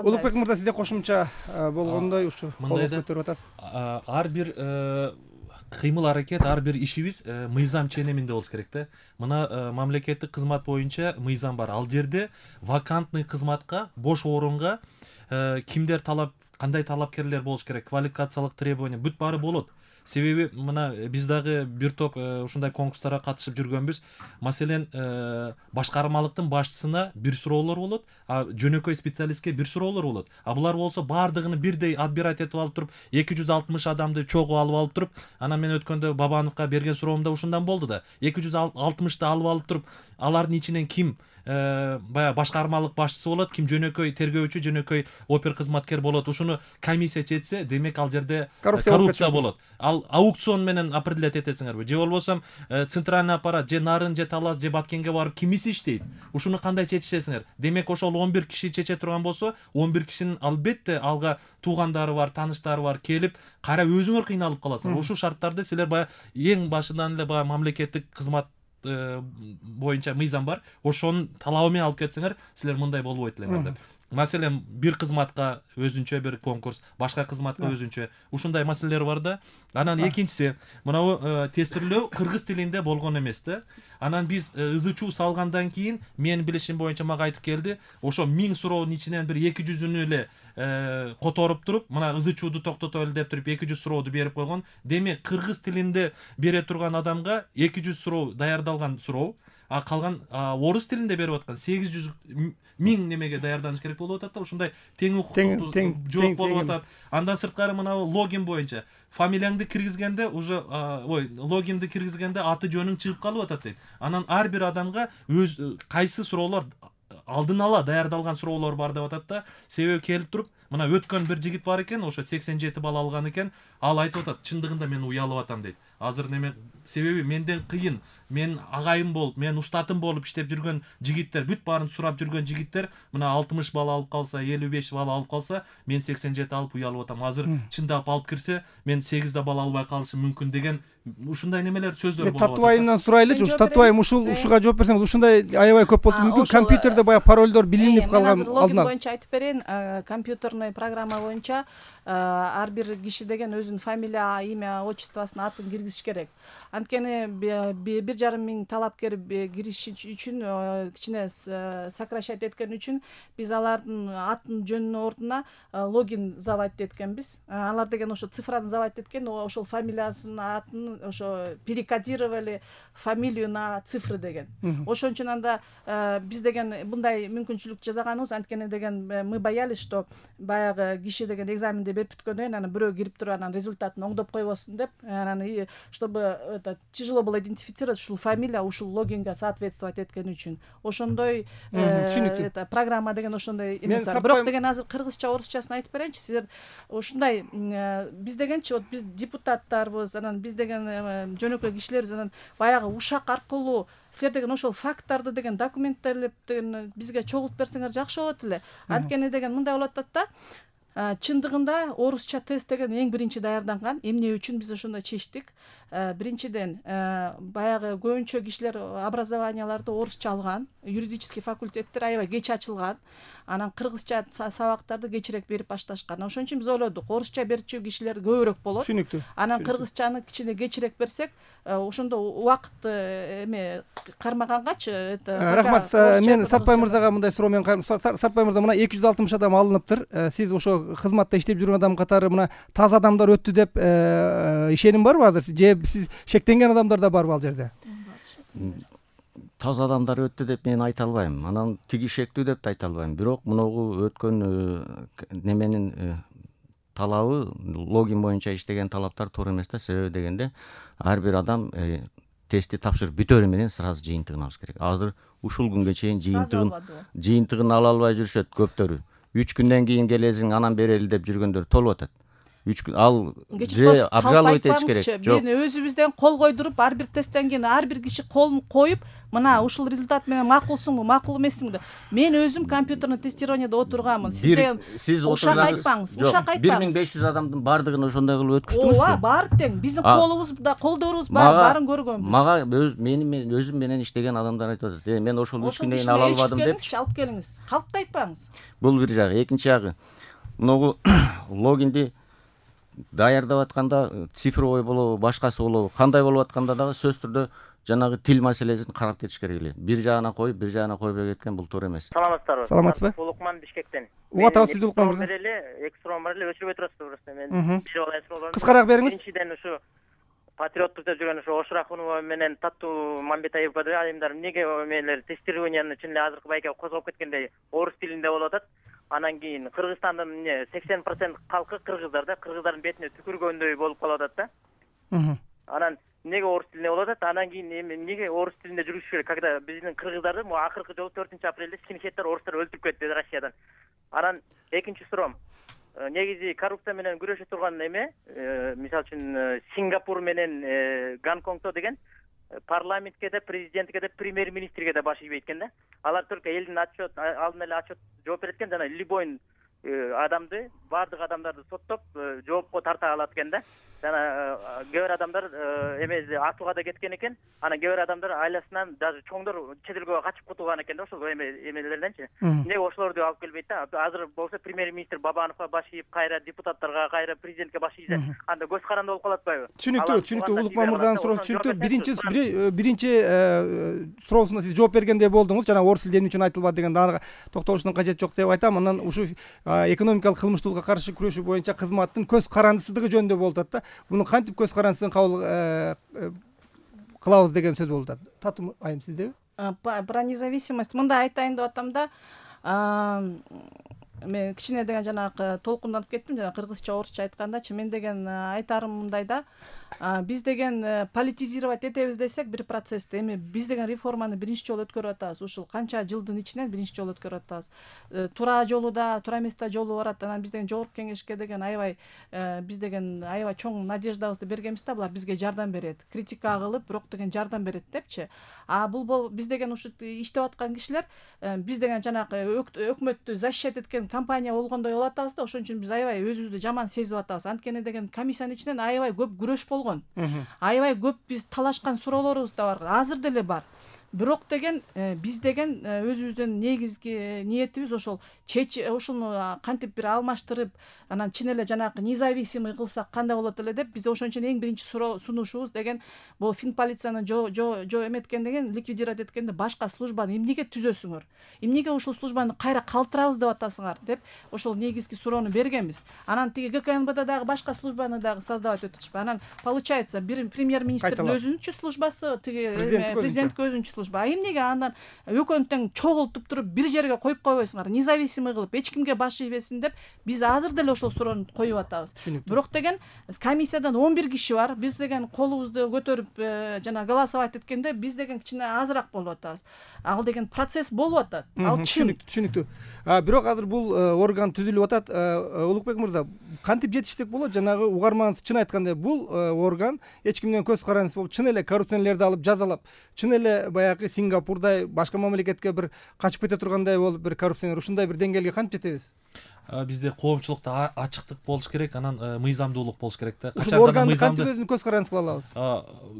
Улукбек мырза, сизде кошумча болгондой ушу колду көтөрүп атасыз. Ар бир кыймыл аракет, ар бир ишибиз мыйзам ченеминде болуш керек да. Мына мамлекеттик кызмат боюнча мыйзам бар. Ал жерде вакантный кызматка, бош орунга кимдер кандай талапкерлер болуш керек, квалификациялык требования бүт баары болот. Себеби мына биз дагы бир топ ушундай конкурстарга катышып жүргөнбүз. Маселен, башкармалыктын башчысына бир суроолор болот, жөнөкөй специалистке бир суроолор болот. Булар болсо баардыгын бирдей отбирать этип алып туруп, 260 адамды чогуу алып туруп, анан мен өткөндө Бабановго берген суроомда ушундан болду да. 260ты алып туруп, алардын ичинен ким баягы башкармалык башчысы болот, ким жөнөкөй тергөөчү, жөнөкөй опер кызматкер болот. Ушуну комиссия чечсе, демек ал жерде коррупция болот. Ал аукцион менен определять этесиңерби? Же болбосо центральный аппарат, же Нарын, же Талас, же Баткенге барып кимиси иштейт? Ушуну кандай чечесиңер? Демек ошол 11 киши чече турган болсо, 11 кишинин албетте алга туугандары бар, тааныштары бар, келип кайра өзүңөр кыйналып каласыңар. Ушул шарттарды силер баягы эң башынан эле баягы мамлекеттик кызмат боюнча мыйзам бар. Ошонун талабы менен алып кетсеңер, силер мындай болбойт элеңер деп. Маселен, бир кызматка өзүнчө бир конкурс, башка кызматка өзүнчө. Ушундай маселелер бар да. Анан экинчиси, мына тестирлөө кыргыз тилинде болгон эмес да. Анан биз ызы-чуу салгандан кийин, менин билишим боюнча мага айтып келди, ошо 1000 суроонун ичинен бир 200-үнү эле которуп туруп, мына ызы-чууду токтотолу деп туруп 200 сурооду берип койгон. Демек, кыргыз тилинде бере турган адамга 200 суроо даярдалган суроо, калган орус тилинде берип аткан 800 1000 немеге даярданыш керек болуп атат да. Ушундай тең укуктуу жооп болуп атат. Андан сырткары мына логин боюнча фамилияңды киргизгенде уже логинди киргизгенде аты жөнүң чыгып калып атат дейт. Анан ар бир адамга өз кайсы суроолор алдын ала даярдалган суроолор бар деп атат да. Себеби келип туруп, мына өткөн бир жигит бар экен, ошо 87 балл алган экен. Ал айтып атат, чындыгында мен уялып атам дейт. Азыр неме себеби менден кыйын, мен агайым болуп, мен устатым болуп иштеп жүргөн жигиттер, бүт баарын сурап жүргөн жигиттер мына 60 балл алып калса, 55 балл алып калса, мен 87 алып уялып атам. Азыр чындап алып кирсе, мен 8 балл албай калышым мүмкүн деген ушундай немелер сөздөр болуп атат. Татыбайымдан сурайлычы, ушу Татыбайым ушуга жооп берсеңиз, ушундай аябай көп болуп мүмкүн компьютерде баягы паролдор билинип калган алдынан. Боюнча айтып берейин, компьютерный программа боюнча ар бир киши деген өзүнүн фамилия, имя, отчествосын, атын киргизиш керек. Анткени 1,5 миң талапкер кириш үчүн, кичине сокращать эткен үчүн биз алардын атын жөнүнүн ордуна логин заводить эткенбиз. Алар деген ошо цифраны заводить эткен, ошол фамилиясын, атын ошо перекодировали фамилию на цифры деген. Ошон үчүн анда биз деген мындай мүмкүнчүлүк жасаганыбыз, анткени деген мы боялись, что баягы киши деген экзаменди берип бүткөндөн кийин анан бирөө кирип туруп анан результатын оңдоп койбосун деп, анан чтобы тяжело было идентифицировать ушул фамилия ушул логинге соответствовать эткен үчүн. Ошондой программа деген ошондой эмес бар. Бирок деген азыр кыргызча, орусчасын айтып берейинчи. Силер ушундай биз дегенчи, вот биз депутаттарбыз, анан биз деген жөнөкөй кишилербиз, анан баягы ушак аркылуу силер деген ошол факттарды деген документтелеп деген бизге чогултуп берсеңер жакшы болот эле. Анткени деген мындай болуп атат да. Чындыгында орусча тест деген эң биринчи даярданган. Эмне үчүн биз ошондой чечтик? Биринчиден, баягы көбүнчө кишилер образованияларды орусча алган, юридический факультеттер аябай кеч ачылган. Анан кыргызча сабактарды кечирээк берип башташкан. Ошон үчүн биз ойлодук, орусча берчү кишилер көбүрөөк болот. Түшүнүктүү. Анан кыргызчаны кичине кечирээк берсек, ошондо убакыт кармагангачы. Рахмат. Мен Сартбай мырзага мындай суроо менен Сартбай мырза, мына 260 адам алыныптыр. Сиз ошо кызматта иштеп жүргөн адам катары мына таза адамдар өттү деп ишеним барбы азыр? Же сиз шектенген адамдар да барбы ал жерде? Таза адамдар өттү деп мен айта албайм. Анан тиги шектүү деп да айта албайм. Бирок мунугу өткөн неменин талабы, логин боюнча иштеген талаптар туура эмес да. Себеби дегенде ар бир адам тестти тапшырып бүтөрү менен сразу жыйынтыгын алыш керек. Азыр ушул күнгө чейин жыйынтыгын ала албай жүрүшөт көптөрү. 3 күндөн кийин келесиң, анан берели деп жүргөндөр толуп атат. 3 күн ал же обжаловать этиш керек. Жок, мен өзүбүздөн кол койдуруп ар бир тесттен кийин ар бир киши колун коюп, мына ушул результат менен макулсуңбу, макул эмессиңби? Мен өзүм компьютерный тестированияда отурганмын. Сиз ушак айтпаңыз, ушак айтпаңыз. 1500 адамдын бардыгын ошондой кылып өткүздүңүзбү? Ооба, баары тең. Биздин колубузда, колдорубуз баарын көргөнбүз. Мага мен өзүм менен иштеген адамдар айтып атат. Мен ошол 3 күндөн кийин ала албадым деп. Алып келиңиз. Калкты айтпаңыз. Бул бир жагы. Экинчи жагы. Мынагу логинди даярдап атканда цифровой болобу, башкасы болобу, кандай болуп атканда дагы сөзсүз түрдө жанагы тил маселесин карап кетиш керек эле. Бир жагына коюп, бир жагына койбой кеткен бул туура эмес. Саламатсыздарбы? Саламатсызбы? Улукман Бишкектен. Угат сиз Улукман мырза. Эки суроо бар эле, өчүрбөй турасызбы просто. Мен бир алай суроолорду. Кыскараак бериңиз. Биринчиден ушу патриоттукта жүргөн ушу Ошурахунова менен Таттуу Мамбетаева айымдар эмнеге мелер тестированияны чын эле азыркы байке козгоп кеткендей орус тилинде болуп атат. Анан кийин Кыргызстандын 80% калкы кыргыздар да, кыргыздардын бетине түкүргөндөй болуп калып атат да. Анан эмнеге орус тилинде болуп атат? Анан кийин эмнеге орус тилинде жүрүш керек? Когда биздин кыргыздарды акыркы жолу 4-апрелде скинхеттер орустар өлтүрүп кетти Россиядан. Анан экинчи суроом. Негизи коррупция менен күрөшө турган эме, мисалы үчүн Сингапур менен Гонконгто деген парламентке да, президентке да, премьер-министрге да баш ийбейт экен да. Алар только элдин отчет, алдын эле отчет жооп берет экен, жана любой адамды, бардык адамдарды соттоп, жоопко тарта алат экен да. Жана кээ бир адамдар эмеси атууга да кеткен экен. Анан кээ бир адамдар айласынан даже чоңдор чет элге качып кутулган экен да, ошол эмелерденчи. Эмнеге ошолорду алып келбейт да? Азыр болсо премьер-министр Бабановго баш ийип, кайра депутаттарга, кайра президентке баш ийсе, анда көз каранды болуп калат атпайбы? Түшүнүктүү. Улукман мырзанын суроосу түшүнүктүү. Биринчи суроосуна сиз жооп бергендей болдуңуз. Жана орус тилде эмне үчүн айтылбады деген ага токтолуштун кажети жок деп айтам. Анан ушу экономикалык кылмыштуулукка каршы күрөшүү боюнча кызматтын көз карандысыздыгы жөнүндө болуп атат да. Буну кантип көз карандысын кабыл кылабыз деген сөз болуп атат. Татым айым сиздеби? Про независимость мындай айтайын деп атам да. Мен кичине деген жанагы толкунданып кеттим, жана кыргызча, орусча айткандачы. Мен деген айтарым мындай да. Биз деген политизировать этебиз десек бир процессти, эми биз деген реформаны биринчи жолу өткөрүп атабыз. Ушул канча жылдын ичинен биринчи жолу өткөрүп атабыз. Туура жолу да, туура эмес да жолу барат. Анан биз деген жогорку кеңешке деген биз деген аябай чоң надеждабызды бергенбиз да, булар бизге жардам берет. Критика кылып, бирок деген жардам берет депчи. Бул биз деген ушу иштеп аткан кишилер биз деген жанагы өкмөттү защищать эткен компания болгондой болуп атабыз да, ошон үчүн биз аябай өзүбүздү жаман сезип атабыз. Анткени деген комиссиянын ичинен аябай көп күрөш болгон. Аябай көп биз талашкан суроолорубуз да бар. Азыр деле бар. Бирок деген биз деген өзүбүздүн негизги ниетибиз ошол ушуну кантип бир алмаштырып, анан чын эле жанагы независимый кылсак кандай болот эле деп биз ошон үчүн эң биринчи сунушубуз деген бул Финполицияны эметкен деген ликвидировать эткенде башка службаны эмнеге түзөсүңөр? Эмнеге ушул службаны кайра калтырабыз деп атасыңар деп ошол негизги суроону бергенбиз. Анан тиги ГКНБда дагы башка службаны дагы создавать этишпи. Анан получается бир премьер-министрдин өзүнүнчү службасы, тиги президенттин өзүнчү служба. Эмнеге андан экөөнү тең чогултуп туруп бир жерге коюп койбойсуңар? Независимый кылып эч кимге баш ийбесин деп биз азыр деле ошол суроону коюп атабыз. Бирок деген комиссиядан 11 киши бар. Биз деген колубузду көтөрүп жана голосовать эткенде биз деген кичине азыраак болуп атабыз. Ал деген процесс болуп атат. Ал түшүнүктүү. Бирок азыр бул орган түзүлүп атат. Улукбек мырза, кантип жетиштик болот? Жанагы угарманыңыз чын айткандай бул орган эч кимден көз карандысыз болуп, чын эле коррупционерлерди алып жазалап, чын эле баягы Сингапурдай башка мамлекетке бир качып кете тургандай болуп бир коррупционер ушундай бир деңгээлге кантип жетебиз? Бизде коомчулукта ачыктык болуш керек, анан мыйзамдуулук болуш керек да. Ушул органды кантип өзүнүн көз карандысы кыла алабыз?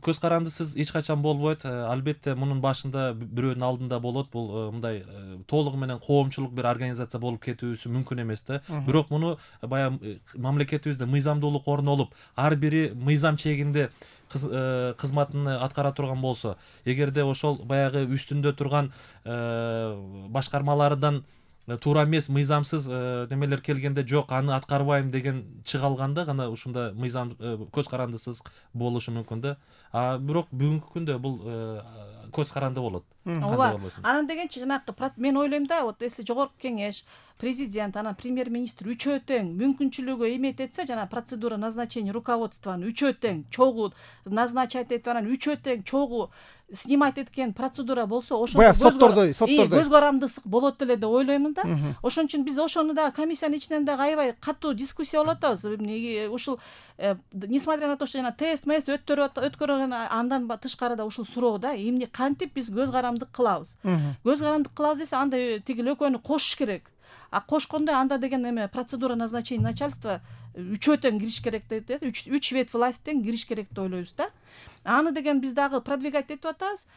Көз карандысыз эч качан болбойт. Албетте мунун башында бирөөнүн алдында болот. Бул мындай толугу менен коомчулук бир организация болуп кетүүсү мүмкүн эмес да. Бирок муну баягы мамлекетибизде мыйзамдуулук орнолуп, ар бири мыйзам чегинде кызматын аткара турган болсо, эгерде ошол баягы үстүндө турган башкармалардан туура эмес мыйзамсыз немелер келгенде жок аны аткарбайм деген чыга алганда гана ушунда мыйзам көз карандысыз болушу мүмкүн да. Бирок бүгүнкү күндө бул көз каранды болот. Ооба. Анан дегенчи жанагы мен ойлойм да, вот если жогорку кеңеш, президент, анан премьер-министр үчөө тең мүмкүнчүлүгү эмет этсе, жана процедура назначения руководствону үчөө тең чогуу назначать этип, анан үчөө тең чогуу снимать эткен процедура болсо ошондо Баягы соттордой көз карандысык болот эле деп ойлоймун да. Ошон үчүн биз ошону дагы комиссиянын ичинен дагы аябай катуу дискуссия болуп атабыз. Ушул несмотря на то, что жана тест өткөргөн андан тышкары да ушул суроо да, эмне кантип биз көз карандык кылабыз. Көз карандык кылабыз десе анда тиги экөөнү кошуш керек. А кошкондо анда деген эме процедура назначения начальства үчөөтөн кириш керек дейт. Үч вет власттен кириш керек деп ойлойбуз да. Аны деген биз дагы продвигать этип атабыз.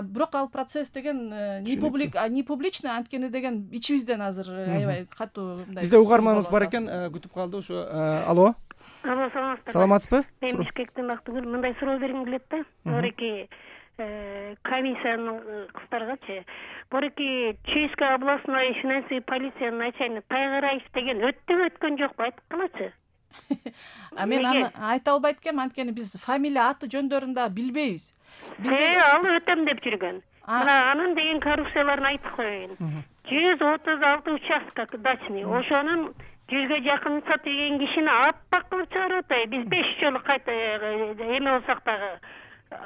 Бирок ал процесс деген не публичный, анткени деген ичибизден азыр аябай катуу мындай. Бизде угарманыбыз бар экен, күтүп калды ушу. Алло. Алло, саламатсызбы? Саламатсызбы? Мен Бишкектен Бактыгүл. Мындай суроо бергим келет да. Бореки комиссиянын кыздаргачы. Бореки Чуйская областной финансовый полиция начальник Тайгараев деген өткөн жокпу, айтып калачы. Мен аны айта албайт экенмин, анткени биз фамилия аты жөндөрүн да билбейбиз. Ал өтөм деп жүргөн. Мына анын деген коррупцияларын айтып коеюн. 136 участок дачный. Ошонун 100ге жакын сот деген кишини аппак кылып чыгарып атпайбы. Биз 5 жолу кайта эме болсак дагы,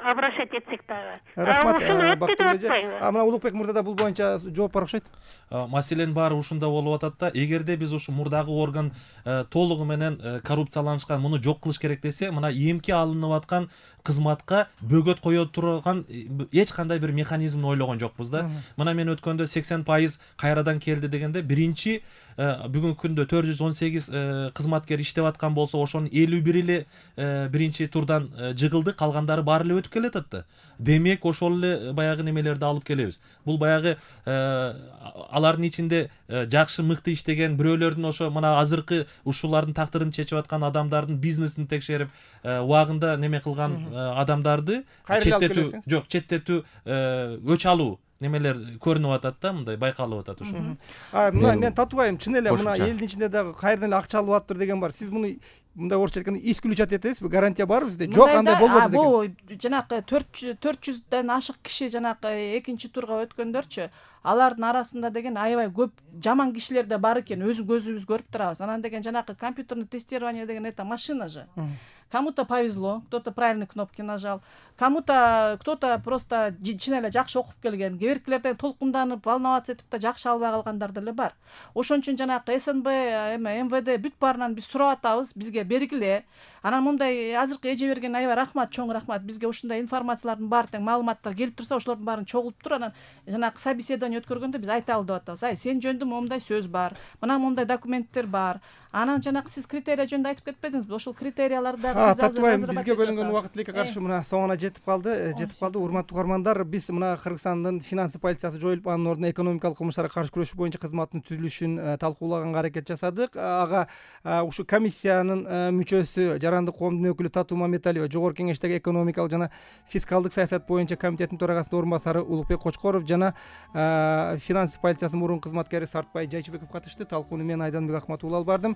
обращать этсек дагы. Рахмат, Бактыгүл. Мына Улукбек мырза да бул боюнча жооп бар окшойт. Маселенин баары ушунда болуп атат да. Эгерде биз ушу мурдагы орган толугу менен коррупцияланышкан, муну жок кылыш керек десе, мына эмки алынып аткан кызматка бөгөт кое турган эч кандай бир механизмди ойлогон жокпуз да. Мына мен өткөндө 80% кайрадан келди дегенде, биринчи бүгүнкү күндө 418 кызматкер иштеп аткан болсо, ошонун 51 эле биринчи турдан жыгылды, калгандары баары эле өтүп келатат да. Демек ошол эле баягы немелерди алып келебиз. Бул баягы алардын ичинде жакшы мыкты иштеген бирөөлөрдүн, ошо мына азыркы ушулардын тактырын чечип аткан адамдардын бизнесин текшерип, убагында неме кылган адамдарды четтетүү, өч алуу немелер көрүнүп атат да, мындай байкалып атат ушу. Мына мен татыбайм, чын эле мына элдин ичинде дагы кайрадан эле акча алып аптыр деген бар. Сиз муну мындай орусча айтканда исключать этесизби? Гарантия барбы сизде? Жок, андай болбоду деген. Бул жанагы 400дөн ашык киши жанагы экинчи турга өткөндөрчү, алардын арасында деген аябай көп жаман кишилер да бар экен, көзүбүз көрүп турабыз. Анан деген жанагы компьютерный тестирование деген это машина же. Кому-то повезло, кто-то правильные кнопки нажал, кто-то просто чын эле жакшы окуп келген, кээ-биркилерден толкунданып, волноваться этип да жакшы албай калгандар деле бар. Ошон үчүн жанагы СНБ, МВД бүт баарынан биз сурап атабыз, бизге бергиле. Анан мындай азыркы эже берген аябай рахмат, чоң рахмат. Бизге ушундай информациялардын баары тең маалыматтар келип турса, ошолордун баарын чогултуп туруп, анан жанагы собеседование өткөргөндө биз айта алып атабыз. Сен жөнүндө момундай сөз бар, мына момундай документтер бар. Анан жанагы сиз критерия жөнүндө айтып кетпедиңизби? Ошол критерияларды биз татыбайм, бизге бөлүнгөн убакыт тилекке каршы мына соңуна жетип калды. Урматтуу угармандар, биз мына Кыргызстандын финансы полициясы жоюлуп, анын ордуна экономикалык кылмыштарга каршы күрөшүү боюнча кызматтын түзүлүшүн талкуулаганга аракет жасадык. Ага ушу комиссиянын мүчөсү, жарандык коомдун өкүлү Татуу Мамедалиева, жогорку кеңештеги экономикалык жана фискалдык саясат боюнча комитеттин төрагасынын орун басары Улукбек Кочкоров жана финансы полициясынын мурунку кызматкери Сартбай Жайчыбеков катышты. Талкууну мен Айданбек Акматуулу алып бардым.